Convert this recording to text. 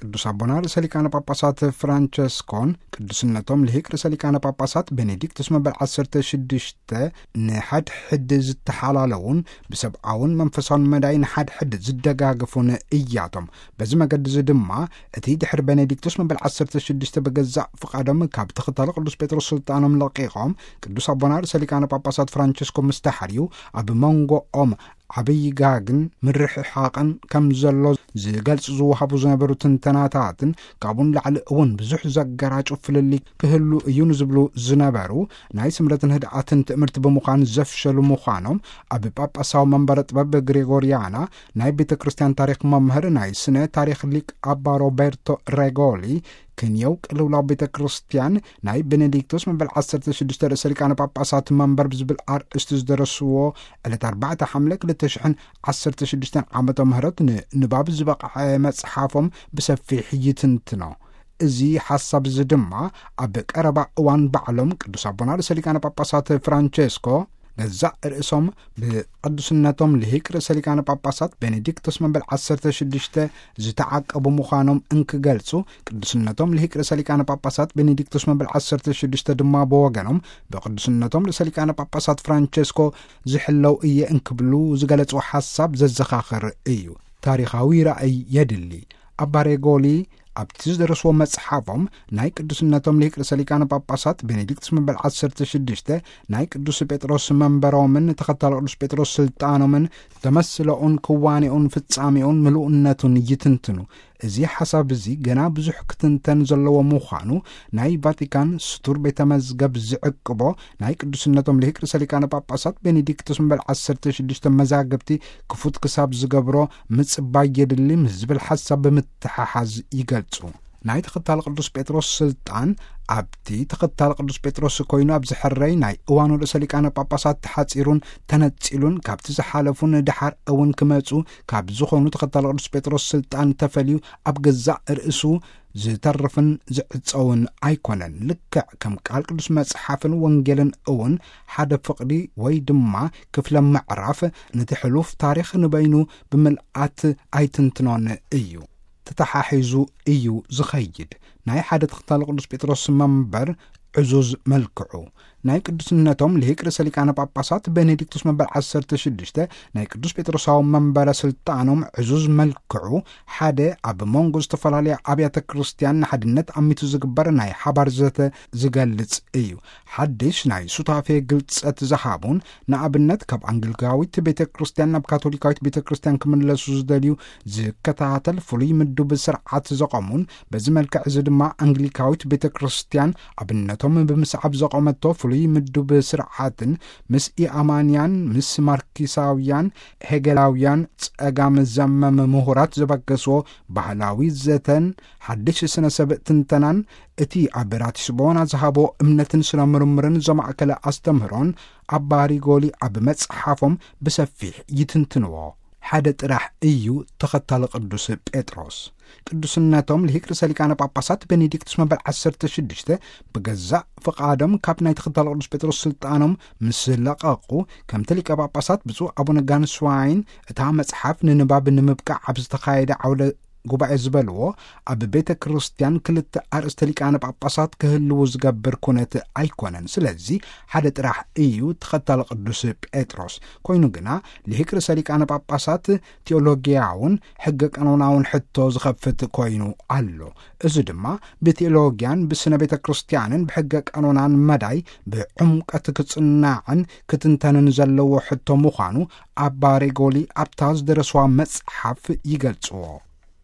ቅዱስ ኣቦና ርእሰ ሊቃነ ጳጳሳት ፍራንቸስኮን ቅዱስነቶም ልሂቅ ርእሰ ሊቃነ ጳጳሳት ቤኔዲክቱስ መበል ዓሰርተ ሽዱሽተ ንሓድሕድ ዝተሓላለውን ብሰብኣውን መንፈሳውን መዳይ ንሓድሕድ ዝደጋግፉን እያቶም። በዚ መገዲ እዚ ድማ እቲ ድሕሪ ቤኔዲክቱስ መበል ዓሰርተ ሽዱሽተ ብገዛእ ፍቓዶም ካብ ተኸታሊ ቅዱስ ጴጥሮስ ስልጣኖም ለቂቖም ቅዱስ ኣቦና ርእሰ ሊቃነ ጳጳሳት ፍራንቸስኮ ምስ ተሓርዩ ኣብ መንጎኦም ዓብዪ ጋግን ምርሕሓቕን ከም ዘሎ ዝገልጹ ዝወሃቡ ዝነበሩ ትንተናታትን ካብኡ ንላዕሊ እውን ብዙሕ ዘገራጩ ፍልልይ ክህሉ እዩ ንዝብሉ ዝነበሩ ናይ ስምረትን ህድኣትን ትእምርቲ ብምዃን ዘፍሸሉ ምዃኖም ኣብ ጳጳሳዊ መንበረ ጥበብ ግሬጎሪያና ናይ ቤተ ክርስቲያን ታሪኽ መምህር ናይ ስነ ታሪኽ ሊቅ ኣባ ሮቤርቶ ሬጎሊ ክንየው ቅልውላው ቤተ ክርስቲያን ናይ ቤኔዲክቶስ መበል ዓሰርተ ሽዱሽተ ርእሰ ሊቃነ ጳጳሳት መንበር ብዝብል ኣርእስቲ ዝደረስዎ ዕለት ኣርባዕተ ሓምለ ክልተ ሽሕን ዓሰርተ ሽዱሽተን ዓመተ ምህረት ንንባብ ዝበቕዐ መጽሓፎም ብሰፊሕ ይትንትኖ። እዚ ሓሳብ እዚ ድማ ኣብ ቀረባ እዋን ባዕሎም ቅዱስ ኣቦና ርእሰ ሊቃነ ጳጳሳት ፍራንቸስኮ ገዛእ ርእሶም ብቅዱስነቶም ልሂቅ ርእሰ ሊቃነ ጳጳሳት ቤኔዲክቶስ መበል ዓሰርተ ሽዱሽተ ዝተዓቀቡ ምዃኖም እንክገልጹ፣ ቅዱስነቶም ልሂቅ ርእሰ ሊቃነ ጳጳሳት ቤኔዲክቶስ መበል ዓሰርተ ሽዱሽተ ድማ ብወገኖም ብቅዱስነቶም ርእሰ ሊቃነ ጳጳሳት ፍራንቸስኮ ዝሕለው እየ እንክብሉ ዝገለጹ ሓሳብ ዘዘኻኽር እዩ። ታሪኻዊ ራእይ የድሊ። ኣባ ሬጎሊ ኣብቲ ዝደረስዎ መጽሓፎም ናይ ቅዱስነቶም ልሂቅ ርእሰ ሊቃነ ጳጳሳት ቤኔዲክቱስ መበል ዓሰርተ ሽዱሽተ ናይ ቅዱስ ጴጥሮስ መንበሮምን ተኸታሊ ቅዱስ ጴጥሮስ ስልጣኖምን ተመስለኡን ክዋኔኡን ፍጻሜኡን ምሉእነቱን ይትንትኑ። እዚ ሓሳብ እዚ ገና ብዙሕ ክትንተን ዘለዎ ምዃኑ ናይ ቫቲካን ስቱር ቤተ መዝገብ ዝዕቅቦ ናይ ቅዱስነቶም ልሂቅ ርእሰ ሊቃነ ጳጳሳት ቤኔዲክቱስ መበል ዓሰርተ ሽዱሽተ መዛግብቲ ክፉት ክሳብ ዝገብሮ ምጽባይ የድሊ ምስ ዝብል ሓሳብ ብምትሓሓዝ ይገልጹ። ናይ ተኸታሊ ቅዱስ ጴጥሮስ ስልጣን ኣብቲ ተኸታሊ ቅዱስ ጴጥሮስ ኮይኑ ኣብ ዝሕረይ ናይ እዋኑ ርእሰ ሊቃነ ጳጳሳት ተሓጺሩን ተነጺሉን ካብቲ ዝሓለፉን ድሓር እውን ክመጹ ካብ ዝኾኑ ተኸታሊ ቅዱስ ጴጥሮስ ስልጣን ተፈልዩ ኣብ ገዛእ ርእሱ ዝተርፍን ዝዕጸውን ኣይኮነን። ልክዕ ከም ቃል ቅዱስ መጽሓፍን ወንጌልን እውን ሓደ ፍቕዲ ወይ ድማ ክፍለ ምዕራፍ ነቲ ሕሉፍ ታሪኽ ንበይኑ ብምልኣት ኣይትንትኖን እዩ። ተተሓሒዙ እዩ ዝኸይድ። ናይ ሓደ ተኸታሊ ቅዱስ ጴጥሮስ መንበር ዕዙዝ መልክዑ ናይ ቅዱስነቶም ልሂቅ ርእሰ ሊቃነ ጳጳሳት ቤኔዲክቱስ መበል ዓሰርተ ሽዱሽተ ናይ ቅዱስ ጴጥሮሳዊ መንበረ ስልጣኖም ዕዙዝ መልክዑ ሓደ ኣብ መንጎ ዝተፈላለያ ኣብያተ ክርስቲያን ንሓድነት ኣሚቱ ዝግበር ናይ ሓባር ዘተ ዝገልጽ እዩ። ሓድሽ ናይ ሱታፌ ግልጸት ዝሃቡን ንኣብነት ካብ ኣንግሊካዊት ቤተ ክርስቲያን ናብ ካቶሊካዊት ቤተ ክርስቲያን ክምለሱ ዝደልዩ ዝከታተል ፍሉይ ምዱብ ስርዓት ዘቐሙን በዚ መልክዕ እዚ ድማ ኣንግሊካዊት ቤተ ክርስቲያን ኣብነቶም ብምስዓብ ዘቐመቶ ፍሉይ ምዱብ ስርዓትን ምስ ኢኣማንያን ምስ ማርኪሳውያን ሄገላውያን ጸጋም ዘመም ምሁራት ዘበገስዎ ባህላዊ ዘተን ሓድሽ ስነ ሰብ ትንተናን እቲ ኣብ ራቲስቦና ዝሃቦ እምነትን ስነ ምርምርን ዘማእከለ ኣስተምህሮን ኣባ ሪጎሊ ኣብ መጽሓፎም ብሰፊሕ ይትንትንዎ። ሓደ ጥራሕ እዩ ተኸታሊ ቅዱስ ጴጥሮስ። ቅዱስነቶም ልሂቅ ርእሰ ሊቃነ ጳጳሳት ቤኔዲክቱስ መበል ዓሰርተ ሽዱሽተ ብገዛእ ፍቓዶም ካብ ናይ ተኸታሊ ቅዱስ ጴጥሮስ ስልጣኖም ምስ ለቐቑ፣ ከምቲ ሊቀ ጳጳሳት ብፁዕ ኣቡነ ጋንስዋይን እታ መጽሓፍ ንንባብ ንምብቃዕ ኣብ ዝተኻየደ ዓውደ ጉባኤ ዝበልዎ፣ ኣብ ቤተ ክርስቲያን ክልተ ኣርእስተ ሊቃነ ጳጳሳት ክህልዉ ዝገብር ኩነት ኣይኮነን። ስለዚ ሓደ ጥራሕ እዩ ተኸታሊ ቅዱስ ጴጥሮስ። ኮይኑ ግና ልሂቅ ርእሰ ሊቃነ ጳጳሳት ቴዎሎጊያውን ሕገ ቀኖናውን ሕቶ ዝኸፍት ኮይኑ ኣሎ። እዚ ድማ ብቴዎሎጊያን ብስነ ቤተ ክርስቲያንን ብሕገ ቀኖናን መዳይ ብዕምቀት ክጽናዕን ክትንተንን ዘለዎ ሕቶ ምዃኑ ኣባ ሬጎሊ ኣብታ ዝደረስዋ መጽሓፍ ይገልጽዎ።